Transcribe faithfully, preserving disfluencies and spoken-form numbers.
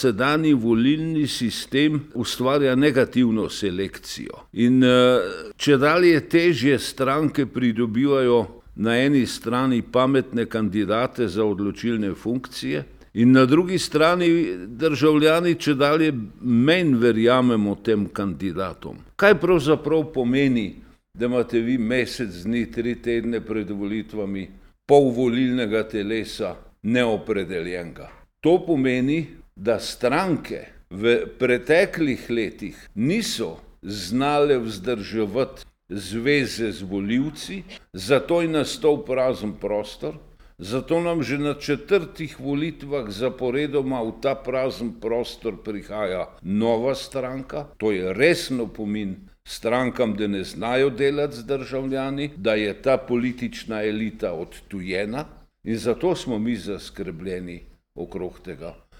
sedanji volilni sistem ustvarja negativno selekcijo. In če dalje težje stranke pridobivajo na eni strani pametne kandidate za odločilne funkcije in na drugi strani državljani če dalje manj verjamemo tem kandidatom. Kaj pravzaprav pomeni, da imate vi mesec dni, tri tedne pred volitvami pol volilnega telesa neopredeljenega? To pomeni, da stranke v preteklih letih niso znale vzdrževati zveze z volivci, zato je nastal prazen prostor, zato nam že na četrtih volitvah zaporedoma v ta prazen prostor prihaja nova stranka. To je resen opomin strankam, da ne znajo delati z državljani, da je ta politična elita odtujena in zato smo mi zaskrbljeni okrog tega.